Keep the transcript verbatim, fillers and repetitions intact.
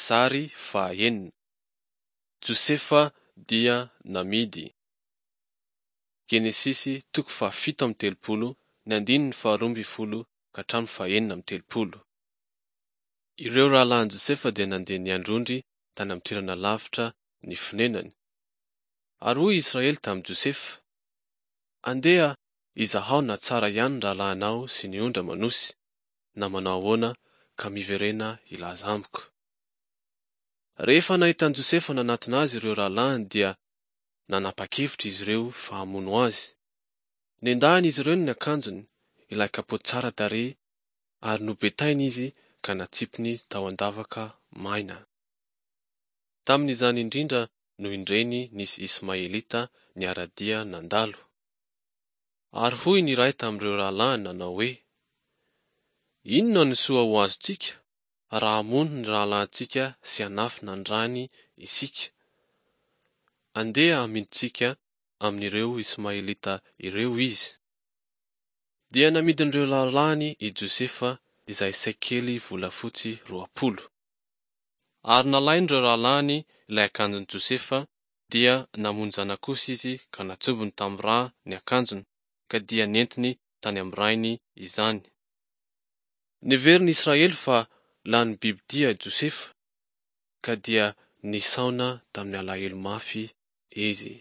Sary fahaenina. Josefa dia namidy. Genesisy toko fahafito amby telopolo ny andininy faharoa ambin'ny folo ka hatramin'ny fahenina amby telopolo. Ireo rahalahin'i Josefa dia nandeha niandry ondry tany amin'ny toerana lavitra ny fonenany. Ary hoy Israely tamin'i Josefa: Andeha izahao na tsara ihany ny rahalahinao sy ny ondry aman'osy, na manao ahoana, ka miverena hilaza amiko. Rehefa nahita an'i Josefa nanatona azy ireo rahalahiny dia nanapa-kevitra izy ireo fa hamono azy. Nendahin'izy ireo ny akanjony, ilay kapoty tsara tarehy, ary nobetainy izy ka natsipiny tao an-davaka maina. Tamin'izany indrindra no indreny nisy Ismaelita niara-dia nandalo. Ary hoy ny iray tamin'ireo rahalahiny nanao hoe: Inona no soa ho azontsika raha hamono ny rahalahintsika sy hanafina ny rany isika? Andeha hamidintsika amin'ireo Ismaelita ireo izy. Dia namidin'ireo rahalahiny i Josefa izay sekely volafotsy roapolo. Ary nalain'ireo rahalahiny ilay akanjon'i Josefa, dia namono zanak'osy izy ka natsobony tamin'ny ra ny akanjony, ka dia nentiny tany amin'ny rainy izany. Neverin'i Israely fa lanin'ny bibidia i Josefa, ka dia nisaona tamin'ny alahelo mafy izy.